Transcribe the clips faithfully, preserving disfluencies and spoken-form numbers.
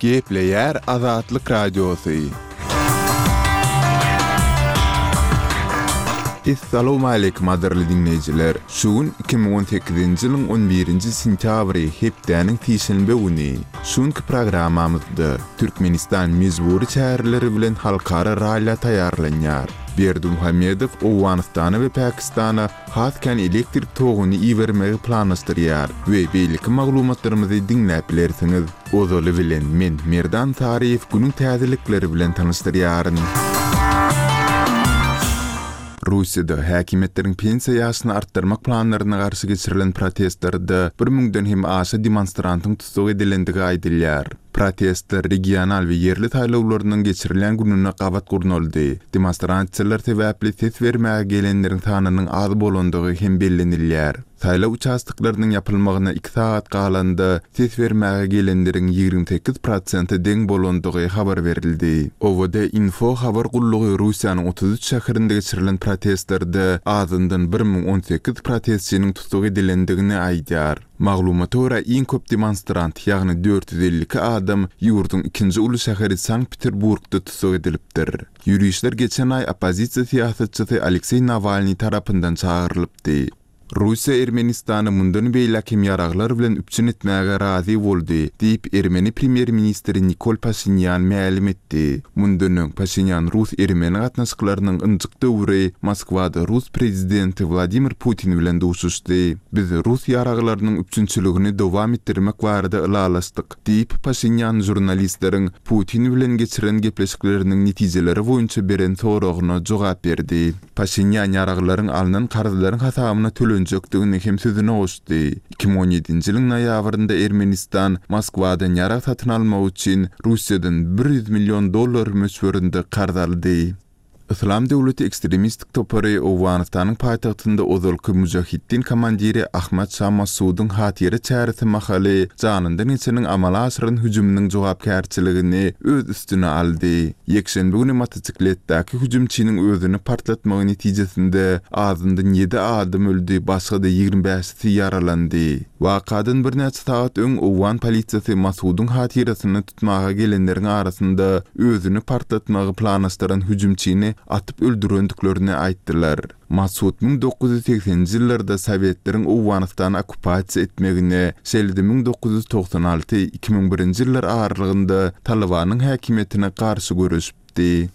Gepleýär Azatlyk Radiosy. Essalawmaleýkim gadyrly diňleýjiler! Şu gün iki müň on sekizinji ýylyň on birinji sentýabry, hepdäniň sişenbe güni. Şu günki programmamyzda Türkmenistan mejbury çäreleri bilen halkara rallä taýýarlanýar. Berdimuhamedow Owganystana we Pakistana has kän elektrik toguny ibermegi planlaşdyrýar we beýleki maglumatlarymyzy diňläp bilersiňiz. Ozaly bilen men Merdan Saryýew günüň täzelikleri bilen tanyşdyrýaryn. Russiýada häkimiýetleriň pensiýa ýaşyny artdyrmak planlaryna garşy geçirilen protestlerde bir müňden hem aşa demonstrantyň tussag edilendigi aýdylýar. Protestler regional we ýerli saýlawlarynyň geçirilýän gününe gabat gurnaldy. Demonstrasiýalar sebäpli ses bermäge gelenleriň sanynyň az bolandygy hem bellenilýär. Saýlaw uçastoklarynyň ýapylmagyna iki sagat galanda ses bermäge gelenleriň ýigrimi sekiz prosente deň bolandygy habar berildi. O W D Info habar gullugy Russiýanyň otuz üç şäherinde geçirilen protestlerde azyndan bir müň on sekiz protestçiniň tussag edilendigini aýdýar. Maglumata görä iň köp demonstrant, ýagny dört ýüz elli iki adam ýurduň ikinji uly şäheri Sankt-Peterburgda tussag edilipdir. Ýürişler geçen aý oppozisiýa syýasatçysy Alekseý Nawalnyý tarapyndan çagyrylypdy. Russiýa Ermenistany mundan beýläk hem ýaraglar bilen üpjün etmäge razy boldy, diýip, ermeni premýer-ministri Nikol Paşinýan mälim etdi. Mundan öň Paşinýan rus-ermeni gatnaşyklarynyň ynjyk döwri Moskwada rus prezidenti Wladimir Putin bilen duşuşdy. Biz rus ýaraglarynyň üpjünçiligini dowam etdirmek barada ylalaşdyk, diýip, Paşinýan žurnalistleriň Putin bilen geçiren gepleşikleriniň netijeleri boýunça beren soragyna jogap berdi. Paşinýan ýaraglaryň alnan karzlaryň hasabyna tölenjekdigini hem sözüne goşdy. Iki müň on ýedinji ýylyň noýabrynda Ermenistan Moskwadan ýarag satyn almak üçin Russiýadan bir ýüz million dollar möçberinde karz aldy. Yslam döwleti ekstremistik topary Owganystanyň paýtagtynda ozalky Mujahitdin komandiri Ahmad Şah Masudyň hatyra çäresi mahaly janyndan geçeniň amala aşyran hüjüminiň jogapkärçiligini öz üstüne aldy. Ýekşenbe güni motosikletdäki hüjümçiniň özüni partlatmagy netijesinde azyndan ýedi adam öldi, başga-da ýigrimi bäşisi ýaralandy. Wakadan birnäçe sagat öň Owgan polisiýasy Masudyň hatyrasyny tutmaga gelenleriň arasynda özüni partlatmagy planlaşdyran hüjümçini atyp öldürendiklerini aýtdylar. Masud müň dokuz ýüz segseninji ýyllarda Sowetleriň Owganystany okkupasiýa etmegine, şeýle-de müň dokuz ýüz togsan alty iki müň birinji ýyllar aralygynda Talibanyň häkimiýetine garşy göreşipdi.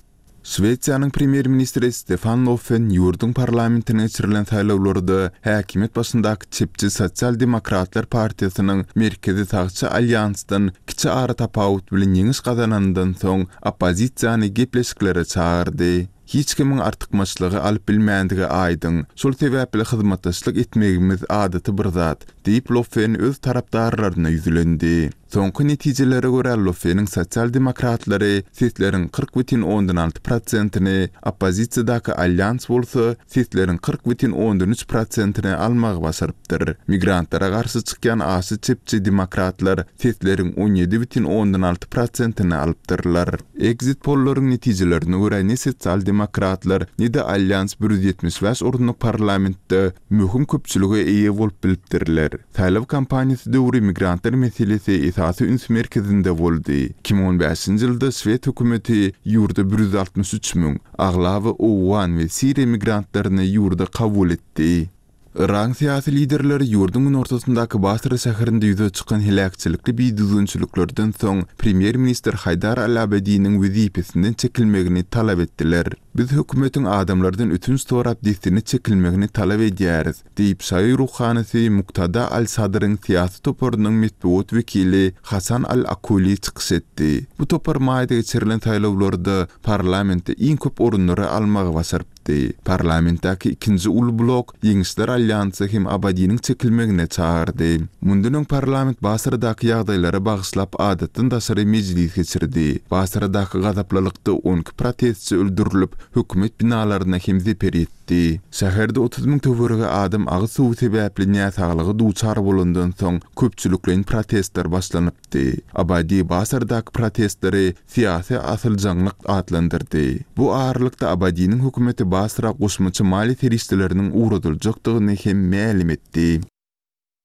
Şwesiýanyň premýer-ministri Stefan Löfven ýurduň parlamentine geçirilen saýlawlarda häkimiýet başyndaky çepçi Sosial-demokratlar partiýasynyň merkezi sagçy alýansdan kiçi ara tapawut bilen ýeňiş gazanandan soň oppozisiýany gepleşiklere çagyrdy. Hiç kimiň artykmaçlygy alyp bilmändigi aýdyň, şol sebäpli hyzmatdaşlyk etmegimiz adaty bir zat, diýip Löfven öz tarapdarlaryna ýüzlendi. Soňky netijelere görä Löfveniň sosial-demokratlary sesleriň kyrk bütin ondan alty prosentini, oppozisiýadaky alýans bolsa sesleriň kyrk bütin ondan üç prosentini almagy başarypdyr. Migrantlara garşy çykýan aşa çepçi demokratlar sesleriň on ýedi bütin ondan alty prosentini alypdyrlar. Exit pollaryň netijelerine görä ne sosial-demokratlar, ne-de alýans bir ýüz ýetmiş bäş orunlyk parlamentde möhüm köpçülige eýe bolup bilipdirler. Saýlaw kampaniýasy döwri migrantlar meselesi esasy üns merkezinde boldy. Iki müň on bäşinji ýylda şwed hökümeti ýurda bir ýüz altmyş üç müň, aglaba owgan we siriýa migrantlaryny ýurda kabul etdi. Yragyň syýasy liderleri ýurduň günortasyndaky Basra şäherinde ýüze çykan heläkçilikli bidüzgünçiliklerden soň premýer-ministr Haýdar al-Abadiniň wezipesinden çekilmegini talap etdiler. Biz hökümetiň adamlardan ötünç sorap dessine çekilmegini talap edýäris, diýip şaýy ruhanysy Muktada al-Sadryň syýasy toparynyň metbugat wekili Hasan al-Akuli çykyş etdi. Bu topar maýda geçirilen saýlawlarda parlamentde iň köp orunlary almagy başarypdy. Parlamentdäki ikinji uly blok Ýeňişler alýansy hem Abadiniň çekilmegine çagyrdy. Mundan öň parlament Basradaky ýagdaýlara bagyşlap adatdan daşary mejlis geçirdi. Basradaky gazaplylykda on iki protestçi öldürilip, hökümet binalaryna hem zeper ýetdi. Şäherde otuz müň töweregi adam agyz suwy sebäpli näsaglyga duçar bolandan soň köpçülikleýin protestler başlanypdy. Abadi Basradaky protestleri syýasy asyljaňlyk atlandyrdy. Bu aralykda Abadiniň hökümeti Basra goşmaça maliýe serişdeleriniň ugradyljakdygyny hem mälim etdi.